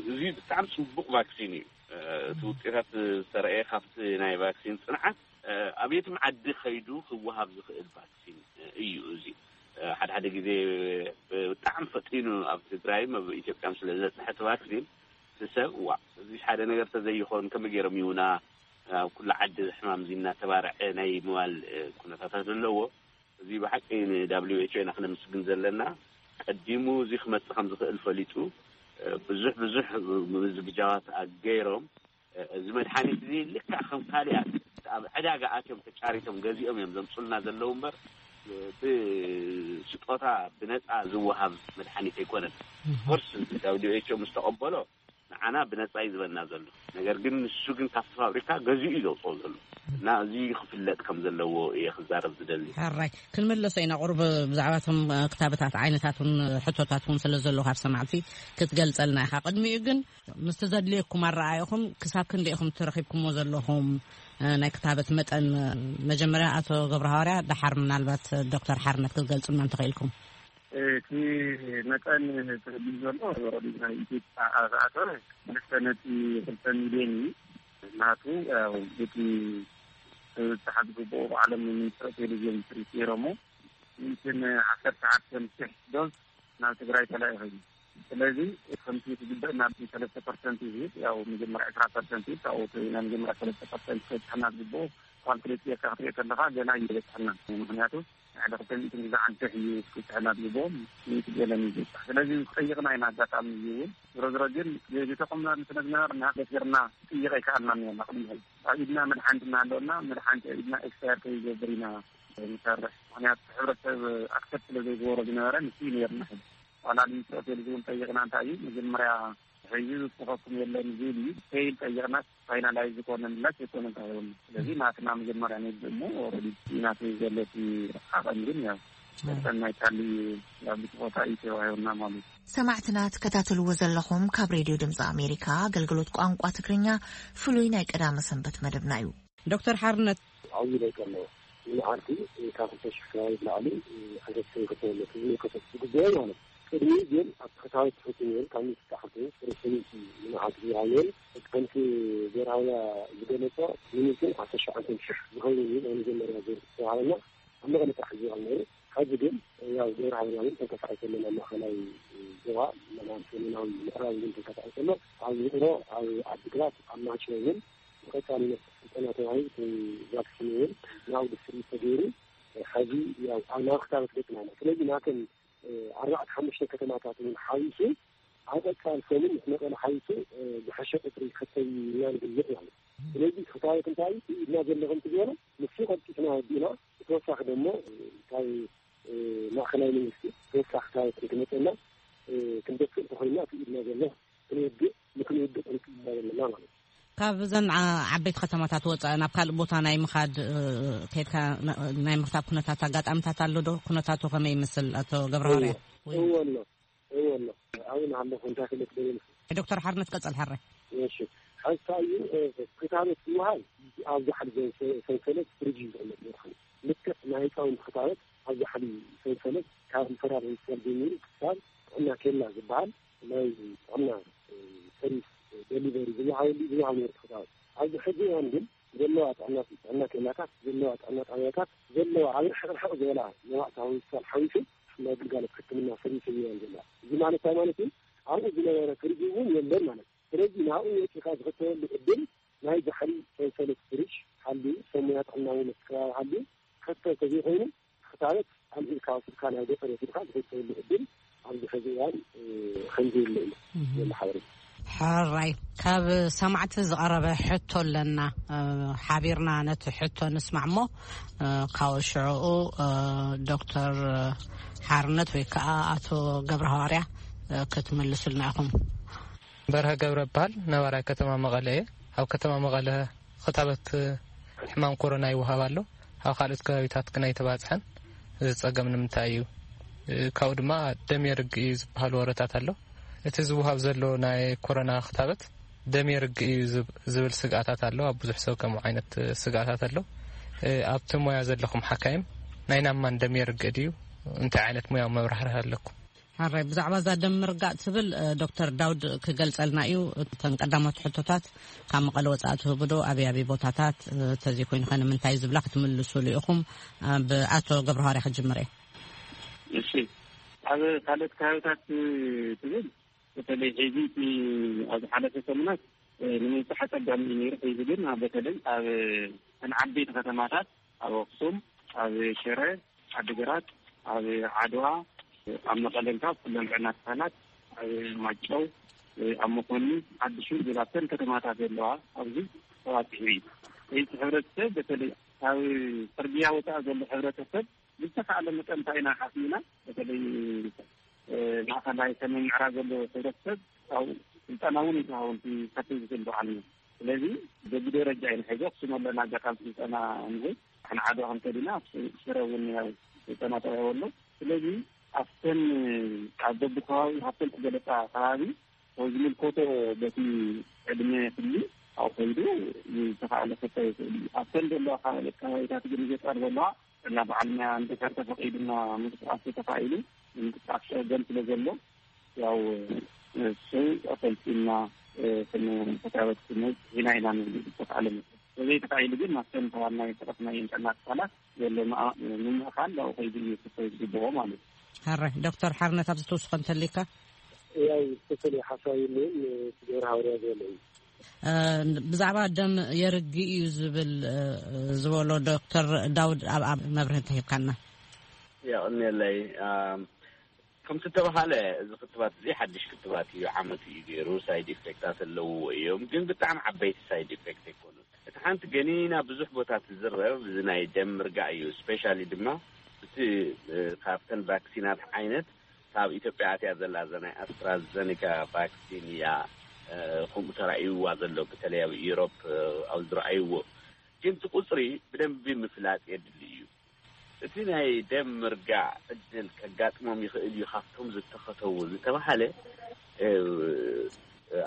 እዚ ብጣዕሚ ፅቡቅ ቫክሲን እዩ። እቲ ውፅኢታት ዝተረእየ ካብቲ ናይ ቫክሲን ፅንዓት ኣብ የትም ዓዲ ከይዱ ክወሃብ ዝኽእል ቫክሲን እዩ። እዚ ሓደ ሓደ ግዜ ብጣዕሚ ፈጢኑ ኣብ ትግራይም ኣብ ኢትዮጵያም ስለ ዝበፅሐ እቲ ቫክሲን እቲ ሰብ ዋ እዚ ሓደ ነገር ተዘይኾን ከመይ ገይሮም ይውና ኣብ ኩሉ ዓዲ ሕማም እዚ እናተባርዐ ናይ ምባል ኩነታታት ዘለዎ። እዚ ብሓቂ ን WHO ኢና ክነምስግን ዘለና። ቀዲሙ እዚ ክመጽእ ከም ዝኽእል ፈሊጡ ብዙሕ ብዙሕ ዝግጃዋት ኣገይሮም እዚ መድሓኒት እዚ ልክዕ ከም ካልኣት ኣብ ዕዳጋ ኣትዮም ተጫሪቶም ገዚኦም እዮም ዘምፁልና ዘለዉ እምበር ብስጦታ ብነጻ ዝወሃብ መድሓኒት ኣይኮነን። ኮርስ ደብሊው ኤች ኦ ምስ ተቐበሎ ንዓና ብነጻ እዩ ዝበና ዘሎ። ነገር ግን ንሱ ግን ካብቲ ፋብሪካ ገዚኡ እዩ ዘውፅኦ ዘሎ እና እዚ ክፍለጥ ከም ዘለዎ እየ ክዛረብ ዝደሊ። ሕራይ ክንምለሶ ኢና። ቁሩብ ብዛዕባ እቶም ክታበታት ዓይነታት እውን ሕቶታት እውን ስለ ዘሎ ካብ ሰማዕቲ ክትገልጸልና ኢኻ። ቅድሚኡ ግን ምስቲ ዘድልየኩም ኣረኣየኹም ክሳብ ክንደኢኹም ትረኺብኩሞ ዘለኹም ናይ ክታበት መጠን? መጀመርያ ኣቶ ገብረ ሃዋርያ፣ ደሓር ምናልባት ዶክተር ሓርነት ክትገልጹልና እንተኽኢልኩም። እቲ መጠን ተበዲሉ ዘሎ ወረዲ ናይ ኢትዮጵያ ኣተኣተ ክልተ ነጥቢ ክልተ ሚልዮን እዩ። ናቱ ያው እቲ ዝተሓዝ ግብኦ ብዓለም ሚኒስትር ቴሌቪዥን ትሪት ነይሮሞ ሚእትን ዓሰርተ ዓሰርተ ሽሕ ዶዝ ናብ ትግራይ ተላኢኹ እዩ። ስለዚ ከምቲ ዝግበእ ናብ ሰለስተ ፐርሰንት እዩ ዝብል። ያው መጀመርያ ዕስራ ፐርሰንት እዩ ካብኡ ናይ መጀመርያ ሰለስተ ፐርሰንት ከብፅሐና ዝግብኦ ካልኩሌት ጌርካ ክትሪኦ ከለካ ገና እዩ ዝበፅሐና። ምክንያቱ ሓደ ክልተ ሚእትን ግዛዕ ኣንተ እዩ ክብፅሐና ዝግብኦም ሚእቲ ገለን እዩ ዝበፅሕ። ስለዚ ጠይቕና ኢና ኣጋጣሚ እዩ እውን ዝሮ ዝሮ ግን ዝተቆምና ስለ ዝነበርና ደፊርና ጥይቕ ኣይከኣልናን ኢና ቅድሚ ሕዚ ኣብ ኢድና መድሓንቲ እናሃለወና መድሓንቲ ኣብ ኢድና ኤክስፓየር ከይገብር ኢና ንሰርሕ። ምክንያቱ ሕብረተሰብ ኣክሰፕት ስለ ዘይገበሮ ዝነበረ ንሱ እዩ ነርና። ሕዚ ዋላ ሚኒስትሪ ሆቴል እውን ጠይቕና እንታይ እዩ መጀመርያ ሕዚ ዝፅኸኩም የለን ዝብል እዩ። ፌይል ጠይቕና ፋይናላይዝ ዝኾነ ምላሽ የኮነ እንታይ ይሆን። ስለዚ ናትና መጀመርያ ንብል እሞ ኦልሬዲ ናተይ ዘሎ እቲ ዓቐን ግን ያው ሰናይ ካሊ ያው ብስቆታ እዩ ተዋሂቡና ማለት እዩ። ሰማዕትና ትከታተልዎ ዘለኹም ካብ ሬድዮ ድምፂ ኣሜሪካ ኣገልግሎት ቋንቋ ትግርኛ ፍሉይ ናይ ቀዳመ ሰንበት መደብና እዩ። ዶክተር ሓርነት፣ ዓብዪ ለውጢ ኣለዎ። ንመዓልቲ ካብ ክልተ ሽሕ ከባቢ ንላዕሊ ሓገዝ ክንከተለቱ ዝመልከቶ ዝግበኦ ማለት እዩ። ቅድሚ ግን ኣብ ትሕታዊ ትሕቲ ነይሩ ካብ ሚእቲ ተዓርቱ ርሰኒቲ ንመዓልቲ ዝሃየን ከምቲ ዘርሃውያ ዝገለጾ ሚኒትን ዓሰርተ ሸውዓተ ሽሕ ዝኸውን እዩ ናይ መጀመርያ ዙር ዝተባሃለና ኣብ መቐለ ጥራሕ ዝባሃል ነይሩ። ሕዚ ግን ያው ገብረ ሃዋርያ እውን ተንቀሳቒሱ ኣሎ ናብ ማእኸላይ ዞባ፣ ናብ ሰሜናዊ ምዕራብ እውን ተንቀሳቒሱ ኣሎ። ኣብ ውቕሮ፣ ኣብ ዓዲግራት፣ ኣብ ማይጨው እውን ብቐጻልነት ስልጠና ተዋሂቡ፣ እቲ ቫክሲን እውን ናብኡ ዲስትሪቢዩት ተገይሩ፣ ሕዚ ያው ኣብ ናብ ክታበት ገጽና ኣለና። ስለዚ ናተን ኣርባዕተ ሓሙሽተ ከተማታት እውን ሓዊሱ ኣብ ቀጻሊ ሰሙን ምስ መቐለ ሓዊሱ ዝሐሸ ቁጽሪ ክከተብ ኢና ንግልጽ ማለት እዩ። ስለዚ ክታበት እንታይ እዩ ኢድና ዘለኹም ዝበሎ ንሱ ቀልጢፍና ወዲእና ብተወሳኺ ደሞ ካብ ማእኸላይ መንግስቲ ተወሳኺ ክታበት ንክመፀና ክንደፍእ እንተኮይና እቲ ኢድና ዘሎ ክንውድእ ንክንውድእ ክንክልና ዘለና ማለት እዩ። ካብ እዘን ዓ- ዓበይቲ ከተማታት ወፃኢ ናብ ካልእ ቦታ ናይ ምኻድ እ፣ ከይድካ ና- ናይ ምክታብ ኩነታት ኣጋጣሚታት ኣሎ ዶ? ኩነታቱ ከመይ ይመስል ኣቶ ገብረ ሃዋርያ? ወይ እወ ኣሎ እወ ኣሎ ኣብኡ ንሃለኹ እንታይ ክልክ ደብል ዶክተር ሓርነት ቀፀል ሓራይ። እሺ ሓንሳ እዩ ክታበት ይወሃል ኣብዚ ሓደ ሰንሰለት ፍሪጅ እዩ ዝቕመጥ መድሓኒ ልክዕ ናይ ህፃውንቲ ክታበት ኣብዚ ሓደ ሰንሰለት ካብ ሪፈራል ሆስፒታል ጀሚሩ ክሳብ ጥዕና ኬላ ዝበሃል ናይ ጥዕና ሰርቪስ ደሊቨሪ ዝወሃበሉ ዝወሃብ ነይሩ ክታበት። ኣብዚ ሕዚ እዋን ግን ዘለዋ ጥዕና ጥዕና ኬላታት ዘለዋ ጥዕና ጣብያታት ዘለዋ ኣብ ርሕቕ ርሕቕ ዝበላ መዋእታ ሆስፒታል ሓዊሱ ናይ ግልጋሎት ሕክምና ሰርቪስ እየን ዘለዋ። እዚ ማለት እንታይ ማለት እዩ? ኣብኡ ዝነበረ ፍሪጅ እውን የለን ማለት እዩ። ስለዚ ናብኡ ወፂኻ ዝኽተበሉ ዕድል ናይ ዛሕሊ ሰንሰለት ፍሪጅ ሃልዩ ሰብ ሞያ ጥዕና እውን እቲ ከባቢ ሃልዩ ክኽተብ ተዘይኮይኑ ክታበት ኣልዒልካ ወሲድካ ናብ ገጠር ወሲድካ ዝኽተበሉ ዕድል ኣብዚ ሕዚ እዋን ከምዘየለ እዩ ዘሎ ሓበሬታ። ሕራይ ካብ ሰማዕቲ ዝቐረበ ሕቶ ኣለና። ሓቢርና ነቲ ሕቶ ንስማዕ እሞ ካብ ሽዕኡ ዶክተር ሓርነት ወይ ከዓ ኣቶ ገብረ ሃዋርያ ክትምልሱልና ኢኹም። በርሀ ገብረ እበሃል። ነባራይ ከተማ መቐለ እየ። ኣብ ከተማ መቐለ ክታበት ሕማም ኮሮና ይወሃብ ኣሎ። ኣብ ካልኦት ከባቢታት ግን ኣይተባፅሐን። እዚ ፀገም ንምንታይ እዩ? ካብኡ ድማ ደም የርግ እዩ ዝበሃል ወረታት ኣሎ። እቲ ዝወሃብ ዘሎ ናይ ኮሮና ክታበት ደም የርግ እዩ ዝብ- ዝብል ስግኣታት ኣሎ። ኣብ ብዙሕ ሰብ ከምኡ ዓይነት ስግኣታት ኣሎ። ኣብቲ ሞያ ዘለኹም ሓካይም ናይ ናማን ደም የርግ ድዩ? እንታይ ዓይነት ሙያዊ መብራህርህ ኣለኩም? ሕራይ ብዛዕባ እዛ ደም ምርጋእ ትብል ዶክተር ዳውድ ክገልጸልና እዩ። እተን ቀዳሞት ሕቶታት ካብ መቐለ ወጻኢ ትህቡ ዶ? ኣበይ ኣበይ ቦታታት? ተዘይኮይኑ ከ ንምንታይ ዝብላ ክትምልሱሉ ኢኹም። ብኣቶ ገብረሃዋርያ ክጅምር እየ። እሺ፣ ኣብ ካልኦት ከባቢታት ትብል በተለይ ሕዚ እቲ ኣብ ዝሓለፈ ሰሙናት ንምብጻሕ ኣጸጋሚ እዩ ነይሩ። ሕዚ ግን በተለይ ኣብ እተን ዓበይቲ ከተማታት ኣብ ኣኽሱም፣ ኣብ ሽረ፣ ዓዲግራት፣ ኣብ ዓድዋ፣ ኣብ መቐለ እንካ ኩለን ጥዕና ትካላት፣ ኣብ ማይጨው፣ ኣብ መኾኒ፣ ዓዲ ሹል ዝብላ እተን ከተማታት ዘለዋ ኣብዚ ተባፂሑ እዩ። እቲ ሕብረተሰብ በተለይ ካብ ፅርግያ ወፃኢ ዘሎ ሕብረተሰብ ብዝተኻእለ መጠን እንታይ ኢና ሓሲብና፣ በተለይ ማእኸላይ ሰሜን ምዕራብ ዘሎ ሕብረተሰብ ካብኡ ስልጠና እውን ይተሃወንቲ ከፍል ዝብል በዓል እዩ። ስለዚ በብደረጃ ኢና ሕዚ ኣክሱም ኣለና ኣጋጣሚ ስልጠና እንሄ። ንዓዶ ክንከድ ኢና፣ ሽረ እውን ያው ስልጠና ተዋሂቡ ኣሎ። ስለዚ ኣብተን ኣብ በብከባቢ ካብተን ዝገለፃ ከባቢ ወይ ዝምልከቶ በቲ ዕድመ ክሊ ኣብኡ ከይዱ ዝተኻእለ ክታይ ይኽእል እዩ። ኣብተን ዘለዋ ከባቢታት ግን ገጠር ዘለዋ እና በዓል ሞያ እንድሕር ተፈቒዱና ምንቅስቃስ ተኻኢሉ፣ ምንቅስቃስ ሸገር ስለ ዘሎ ያው እሱ ኣሰልጢና ክንተካበት ስንል ኢና ኢና ንብል ዝተኻእለ መጠን። ስለዚ ተኻኢሉ ግን ማስተን ተዋናይ ተረፍና የንጠና ትካላት ዘሎ ምምእኻል ላው ከይዱ እዩ ክፈይ ዝግብኦ ማለት እዩ። ሕራይ ዶክተር ሓርነት ኣብዚ ትውስኾ እንተሊካ? ያው ትክክል ሓሳብ የለውም። ትገብር ሃወርያ ዘሎ እዩ። ብዛዕባ ደም የርግ እዩ ዝብል ዝበሎ ዶክተር ዳውድ ኣብ ኣብ መብርህ እንተሂብካና። የቕንየለይ። ከምቲ ተባሃለ፣ እዚ ክትባት እዚ ሓድሽ ክትባት እዩ። ዓመት እዩ ገይሩ። ሳይድ ኢፌክታት ኣለውዎ እዮም፣ ግን ብጣዕሚ ዓበይቲ ሳይድ ኢፌክት ኣይኮኑን። እቲ ሓንቲ ገኒና ብዙሕ ቦታ ትዝረብ እዚ ናይ ደም ምርጋእ እዩ። ስፔሻሊ ድማ እቲ ካብተን ቫክሲናት ዓይነት ካብ ኢትዮጵያ ኣትያ ዘላ እዛ ናይ ኣስትራዘኒካ ቫክሲን እያ። ከምኡ ተራእይዋ ዘሎ፣ በተለይ ኣብ ኢሮፕ ኣብ ዝረኣይዎ። ግን እቲ ቁፅሪ ብደንቢ ምፍላጥ የድሊ እዩ። እቲ ናይ ደም ምርጋእ ዕድል ከጋጥሞም ይኽእል እዩ ካብቶም ዝተኸተቡ ዝተባሃለ፣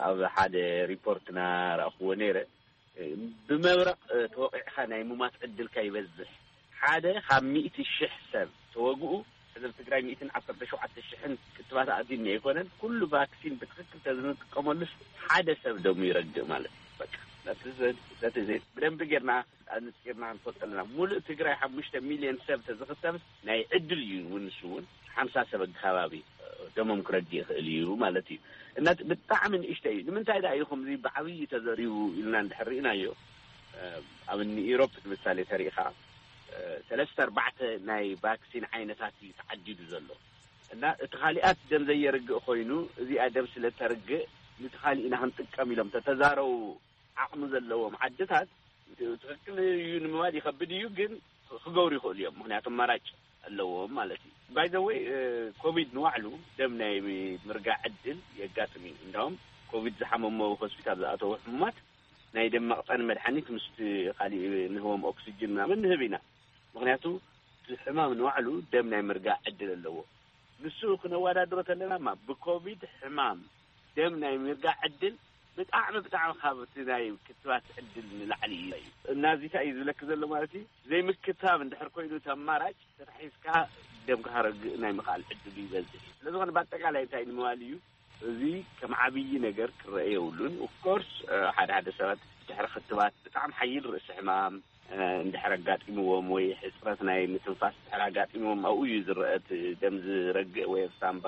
ኣብ ሓደ ሪፖርትና ረእኽዎ ነይረ። ብመብረቕ ተወቒዕካ ናይ ሙማት ዕድልካ ይበዝሕ። ሓደ ካብ ሚእቲ ሽሕ ሰብ ተወግኡ፣ ሕዚ ኣብ ትግራይ ሚእትን ዓሰርተ ሸውዓተ ሽሕን ክትባት ኣእትዩኒ ኣይኮነን፣ ኩሉ ቫክሲን ብትኽክል ተዝንጥቀመሉስ ሓደ ሰብ ደሙ ይረግእ ማለት እዩ። በቃ ነቲ ዘ- ነቲ ዘ- ብደንቢ ጌርና ኣንጺርና ክንፈልጦ ኣለና። ሙሉእ ትግራይ ሓሙሽተ ሚልዮን ሰብ ተዝኽተብ ናይ ዕድል እዩ እውን፣ ንሱ እውን ሓምሳ ሰብ ኣከባቢ ደሞም ክረግእ ይኽእል እዩ ማለት እዩ። እና ብጣዕሚ ንእሽተይ እዩ። ንምንታይ ደኣ እዩ ከምዚ ብዓብዪ ተዘሪቡ ኢልና እንድሕር ርኢናዮ፣ ኣብ እኒ ኢሮፕ ንምሳሌ ተሪኢኻ ሰለስተ ኣርባዕተ ናይ ቫክሲን ዓይነታት እዩ ተዓዲዱ ዘሎ። እና እቲ ካሊኣት ደም ዘየርግእ ኮይኑ እዚኣ ደም ስለ ተርግእ ንቲ ካሊእ ኢና ክንጥቀም ኢሎም ተተዛረቡ ዓቕሚ ዘለዎም ዓድታት ትኽክል እዩ ንምባል ይኸብድ እዩ፣ ግን ክገብሩ ይኽእሉ እዮም። ምክንያቱ ኣማራጭ ኣለዎም ማለት እዩ። ባይ ዘ ወይ ኮቪድ ንባዕሉ ደም ናይ ምርጋእ ዕድል የጋጥም እዩ። እንዳውም ኮቪድ ዝሓመሞ ሆስፒታል ዝኣተዉ ሕሙማት ናይ ደም መቕጠኒ መድሓኒት ምስቲ ካሊእ ንህቦም ኦክስጅን ምናምን ንህብ ኢና። ምክንያቱ እቲ ሕማም ንባዕሉ ደም ናይ ምርጋእ ዕድል ኣለዎ። ንሱ ክነወዳድሮ ተለና ማ ብኮቪድ ሕማም ደም ናይ ምርጋእ ዕድል ብጣዕሚ ብጣዕሚ ካብ እቲ ናይ ክትባት ዕድል ንላዕሊ እዩ። እና እዚ እንታይ እዩ ዝብለኪ ዘሎ ማለት እዩ፣ ዘይምክታብ እንድሕር ኮይኑ እቲ ኣማራጭ ተታሒዝካ ደምካ ከረግእ ናይ ምኽኣል ዕድሉ ይበዝሕ እዩ። ስለዝኾነ ብኣጠቃላይ እንታይ ንምባል እዩ፣ እዚ ከም ዓብዪ ነገር ክረአ የብሉን። ኦፍኮርስ ሓደ ሓደ ሰባት ድሕሪ ክትባት ብጣዕሚ ሓይል ርእሲ ሕማም እንድሕር ኣጋጢምዎም ወይ ሕፅረት ናይ ምትንፋስ እንድሕር ኣጋጢምዎም ኣብኡ እዩ ዝረአ እቲ ደም ዝረግእ ወይ ኣብ ሳምባ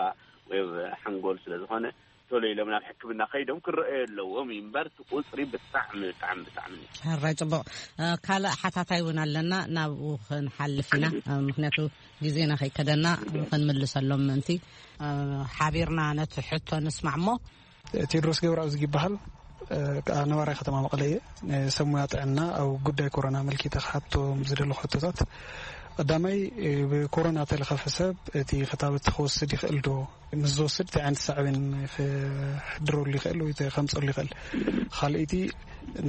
ወይ ኣብ ሓንጎል ስለ ዝኾነ ቶሎ ኢሎም ናብ ሕክምና ከይዶም ክረአዩ ኣለዎም እዩ እምበር እቲ ቁፅሪ ብጣዕሚ ብጣዕሚ ብጣዕሚ ሕራይ ፅቡቕ። ካልእ ሓታታይ እውን ኣለና፣ ናብኡ ክንሓልፍ ኢና። ምክንያቱ ግዜና ከይከደና ክንምልሰሎም ምእንቲ ሓቢርና ነቲ ሕቶ ንስማዕ እሞ። ቴድሮስ ገብረኣብ ዝግ ይበሃል። ከዓ ነባራይ ከተማ መቐለ እየ። ንሰብ ሞያ ጥዕና ኣብ ጉዳይ ኮሮና ኣመልኪተ ክሓቶም ዝደለኹ ሕቶታት፣ ቀዳማይ፣ ብኮሮና ተለኸፈ ሰብ እቲ ክታበት ክወስድ ይኽእል ዶ? ምስ ዝወስድ እንታይ ዓይነት ሳዕቤን ክሕድረሉ ይኽእል ወይ ከምፀሉ ይኽእል? ካልኣይቲ፣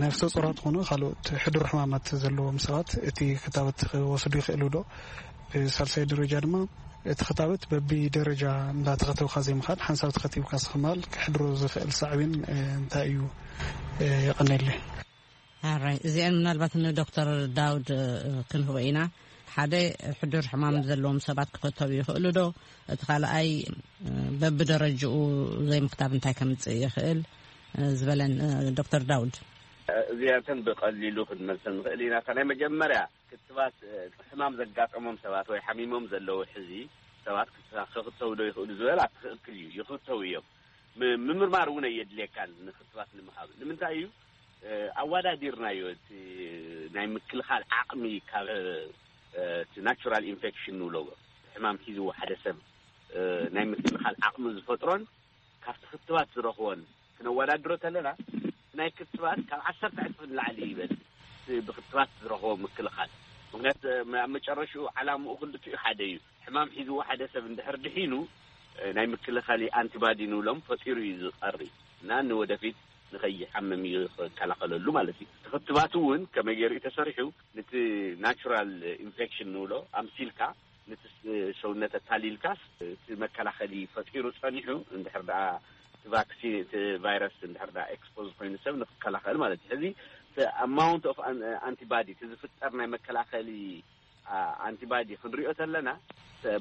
ነፍሰ ጾራት ኾኑ ካልኦት ሕዱር ሕማማት ዘለዎም ሰባት እቲ ክታበት ክወስዱ ይኽእሉ ዶ? ብሳልሳይ ደረጃ ድማ እቲ ክታበት በቢ ደረጃ እንዳተኸተብካ ዘይምኻድ ሓንሳብ ተኸቲብካ ስኽማል ክሕድሮ ዝኽእል ሳዕቤን እንታይ እዩ? የቐነየለይ። ኣራይ እዚኣን ምናልባት ንዶክተር ዳውድ ክንህቦ ኢና። ሓደ ሕዱር ሕማም ዘለዎም ሰባት ክኸተቡ ይኽእሉ ዶ? እቲ ካልኣይ በብደረጅኡ ዘይምክታብ እንታይ ከምፅእ ይኽእል ዝበለን ዶክተር ዳውድ። እዚኣተን ብቐሊሉ ክንመልሰን ንኽእል ኢና። እታ ናይ መጀመርያ ክትባት ሕማም ዘጋጠሞም ሰባት ወይ ሓሚሞም ዘለዉ ሕዚ ሰባት ክክተቡ ዶ ይኽእሉ ዝበል ኣትኽእክል እዩ። ይኽተቡ እዮም። ምምርማር እውን ኣየድልየካን ንክትባት ንምሃብ። ንምንታይ እዩ? ኣወዳዲርናዮ እቲ ናይ ምክልኻል ዓቕሚ ካብ እቲ ናቹራል ኢንፌክሽን ንብሎ ሕማም ሒዝዎ ሓደ ሰብ ናይ ምክልኻል ዓቕሚ ዝፈጥሮን ካብቲ ክትባት ዝረኽቦን ክነወዳድሮ ተለና ናይ ክትባት ካብ ዓሰርተ ዕፅፊ ንላዕሊ ይበል ብክትባት ዝረኽቦ ምክልኻል። ምክንያት ኣብ መጨረሽኡ ዓላምኡ ክልቲኡ ሓደ እዩ። ሕማም ሒዝዎ ሓደ ሰብ እንድሕር ድሒኑ፣ ናይ ምክልኻል ኣንቲባዲ ንብሎም ፈጢሩ እዩ ዝቐሪ እና ንወደፊት ንኸይሓምም እዩ ዝከላኸለሉ ማለት እዩ። እቲ ክትባት እውን ከመይ ገይሩ እዩ ተሰሪሑ? ነቲ ናቹራል ኢንፌክሽን ንብሎ ኣምሲልካ፣ ነቲ ሰውነት ኣታሊልካስ እቲ መከላኸሊ ፈጢሩ ጸኒሑ፣ እንድሕር ደኣ እቲ ቫክሲን፣ እቲ ቫይረስ እንድሕር ደኣ ኤክስፖዝ ኮይኑ ሰብ ንክከላኸል ማለት እዩ። ሕዚ ኣማውንት ኦፍ ኣንቲባዲ፣ እቲ ዝፍጠር ናይ መከላኸሊ ኣንቲባዲ ክንሪኦ ተለና፣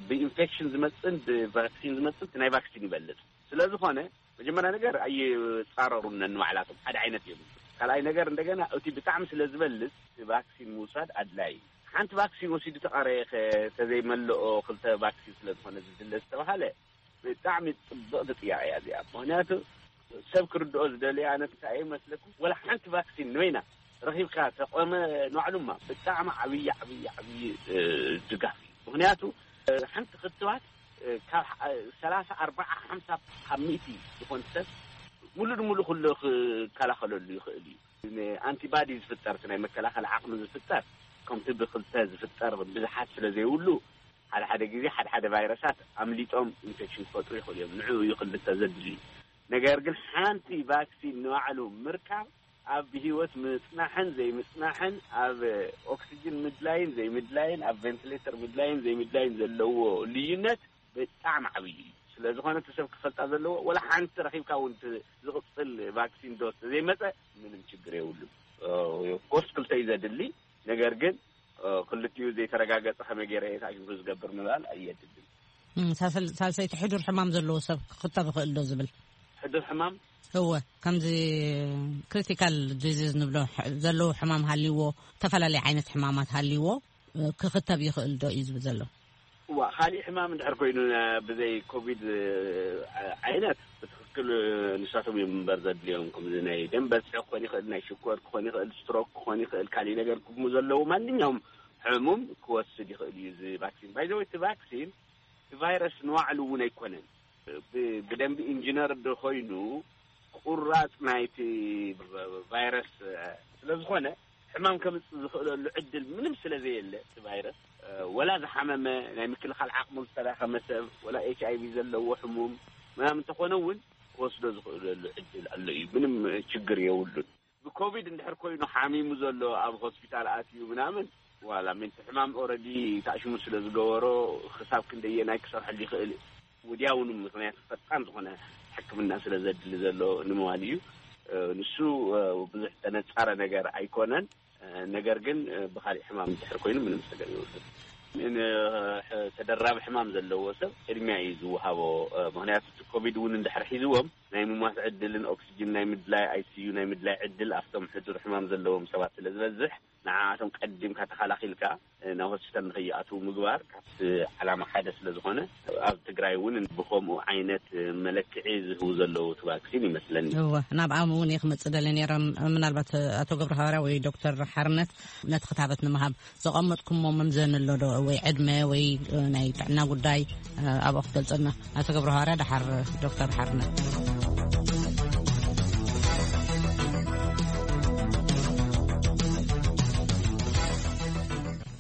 ብኢንፌክሽን ዝመፅን ብቫክሲን ዝመፅን እቲ ናይ ቫክሲን ይበልፅ። ስለዝኾነ መጀመርያ ነገር ኣይፃረሩን ነንባዕላቶም፣ ሓደ ዓይነት እዮም። ካልኣይ ነገር እንደገና እቲ ብጣዕሚ ስለ ዝበልፅ እቲ ቫክሲን ምውሳድ ኣድላይ እዩ። ሓንቲ ቫክሲን ወሲዱ ተቐረየ ተዘይመልኦ ክልተ ቫክሲን ስለዝኾነ ዝድለ ዝተባሃለ ብጣዕሚ ፅብቕቲ ጥያቄ እያ እዚኣ። ምክንያቱ ሰብ ክርድኦ ዝደልየ ኣነ እንታይ እየ መስለኩም፣ ወላ ሓንቲ ቫክሲን ንበይና ረኺብካ ተቆመ ንባዕሉማ ብጣዕሚ ዓብዪ ዓብዪ ዓብዪ ድጋፍ እዩ። ምክንያቱ ሓንቲ ክትባት ካብ ሰላሳ ኣርባዓ ሓምሳ ካብ ሚእቲ ዝኾን ሰብ ሙሉእ ንሙሉእ ኩሉ ክከላኸለሉ ይኽእል እዩ። ኣንቲባዲ ዝፍጠር፣ ናይ መከላኸል ዓቕሚ ዝፍጠር ከምቲ ብክልተ ዝፍጠር ብዙሓት ስለ ዘይብሉ ሓደ ሓደ ግዜ ሓደ ሓደ ቫይረሳት ኣምሊጦም ኢንፌክሽን ክፈጥሩ ይኽእሉ እዮም። ንዑ እዩ ክልተ ዘድሊ። ነገር ግን ሓንቲ ቫክሲን ንባዕሉ ምርካብ ኣብ ብህይወት ምጽናሕን ዘይምጽናሕን፣ ኣብ ኦክሲጅን ምድላይን ዘይምድላይን፣ ኣብ ቬንቲሌተር ምድላይን ዘይምድላይን ዘለዎ ልዩነት ብጣዕሚ ዓብዪ እዩ። ስለ ዝኾነ እቲ ሰብ ክፈልጣ ዘለዎ፣ ወላ ሓንቲ ረኺብካ እውን እቲ ዝቕጽል ቫክሲን ዶስ ዘይመጸ ምንም ችግር የብሉን። ኮርስ ክልተ እዩ ዘድሊ። ነገር ግን ክልቲኡ ዘይተረጋገጸ ከመይ ገይረ እየ ተኣኪቡ ዝገብር ምባል ኣየድልን። ሳልሰይቲ ሕዱር ሕማም ዘለዎ ሰብ ክኽተብ ይኽእል ዶ ዝብል? ሕዱር ሕማም እወ፣ ከምዚ ክሪቲካል ዲዚዝ ንብሎ ዘለዉ ሕማም ሃልይዎ፣ ዝተፈላለዩ ዓይነት ሕማማት ሃልይዎ ክኽተብ ይኽእል ዶ እዩ ዝብል ዘሎ። እዋ፣ ካሊእ ሕማም እንድሕር ኮይኑ ብዘይ ኮቪድ ዓይነት ብትኽክል ንሳቶም እዮም እምበር ዘድልዮም። ከምዚ ናይ ደም በዝሒ ክኾን ይኽእል፣ ናይ ሽኮር ክኾን ይኽእል፣ ስትሮክ ክኾን ይኽእል፣ ካሊእ ነገር ክሙ ዘለዎ ማንኛውም ሕሙም ክወስድ ይኽእል እዩ እዚ ቫክሲን። ባይዘወይ እቲ ቫክሲን እቲ ቫይረስ ንባዕሉ እውን ኣይኮነን። ብደንቢ ኢንጂነር ዶ ኮይኑ ቁራፅ ናይቲ ቫይረስ ስለ ዝኾነ ሕማም ከምፅእ ዝኽእለሉ ዕድል ምንም ስለ ዘየለ እቲ ቫይረስ ወላ ዝሓመመ ናይ ምክልኻል ዓቕሙ ዝተዳኸመ ሰብ ወላ ኤች ኣይ ቪ ዘለዎ ሕሙም ምናምን እንተኾነ እውን ክወስዶ ዝኽእለሉ ዕድል ኣሎ እዩ። ምንም ችግር የብሉን። ብኮቪድ እንድሕር ኮይኑ ሓሚሙ ዘሎ ኣብ ሆስፒታል ኣትዩ ምናምን ዋላ ምንቲ ሕማም ኦረዲ ታእሽሙ ስለ ዝገበሮ ክሳብ ክንደየናይ ክሰርሐሉ ይኽእል ውድያውን ምክንያት ፈጣን ዝኾነ ሕክምና ስለ ዘድሊ ዘሎ ንምባል እዩ። ንሱ ብዙሕ ተነፃረ ነገር ኣይኮነን። ነገር ግን ብካሊእ ሕማም እንድሕር ኮይኑ ምንም ሰገር ይወስድ ተደራቢ ሕማም ዘለዎ ሰብ ቅድሚያ እዩ ዝወሃቦ። ምክንያቱ እቲ ኮቪድ እውን እንድሕር ሒዝዎም ናይ ምማት ዕድልን ኦክሲጅን ናይ ምድላይ ኣይሲዩ ናይ ምድላይ ዕድል ኣብቶም ሕዱር ሕማም ዘለዎም ሰባት ስለ ዝበዝሕ ንዓኣቶም ቀዲምካ ተኸላኺልካ ናብ ሆስፒታል ንኸይኣትዉ ምግባር ካብቲ ዓላማ ሓደ ስለ ዝኾነ ኣብ ትግራይ እውን ብከምኡ ዓይነት መለክዒ ዝህቡ ዘለዉ እቲ ቫክሲን ይመስለኒ። እወ፣ ናብኣም እውን እየ ክመፅእ ደለ ነይረ። ምናልባት ኣቶ ገብረ ሃዋርያ ወይ ዶክተር ሓርነት ነቲ ክታበት ንምሃብ ዘቐመጥኩሞ መምዘኒ ኣሎ ዶ ወይ ዕድመ ወይ ናይ ጥዕና ጉዳይ ኣብኡ ክትገልፀልና? ኣቶ ገብረ ሃዋርያ ደሓር ዶክተር ሓርነት።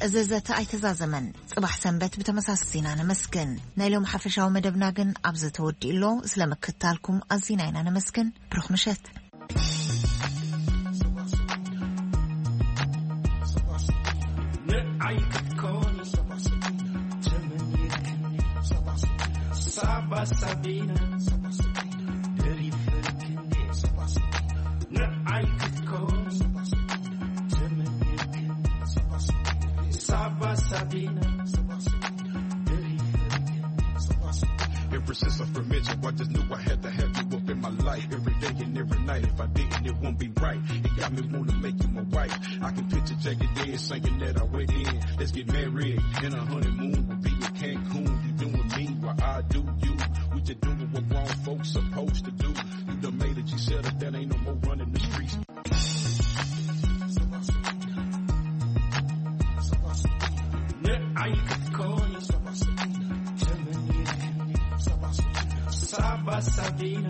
እዚ ዘተ ኣይተዛዘመን። ጽባሕ ሰንበት ብተመሳሳሊ ዜና ነመስግን። ናይ ሎም ሓፈሻዊ መደብና ግን ኣብዚ ተወዲኡ ኣሎ። ስለ ምክትታልኩም ኣዚና ኢና ነመስግን። ብሩኽ ምሸት። ንዓይ ክትኮኒ ሰባ ሰቢና፣ ተመኒርክኒ ሰባ ሰቢና፣ ሳባ ሳቢና፣ ደሪፈርክኒ ሰባ ሰቢና፣ ንዓይ ክትኮኒ ሰባ ሰቢና፣ ተመኒርክኒ ሰባ ሰቢና፣ ሳባ ሳቢና፣ ደሪፈርክኒ ሰባ ሰቢና። Ever since I first met you, I just knew I had to have you up in my life. Every day and every night, if I didn't, it won't be right. It got me wanna make you my wife. I can picture Jagged Edge saying that I went in. Let's get married, and a honeymoon will be in Cancun. You doing me while I do you. We just doing what grown folks supposed to do. You done made it, you settled down, ain't no more running the streets. ንዓይ ክትኮኒ ሰባ ሰቢና፣ ተመኒርክኒ ሰባ ሰቢና፣ ሳባ ሳቢና።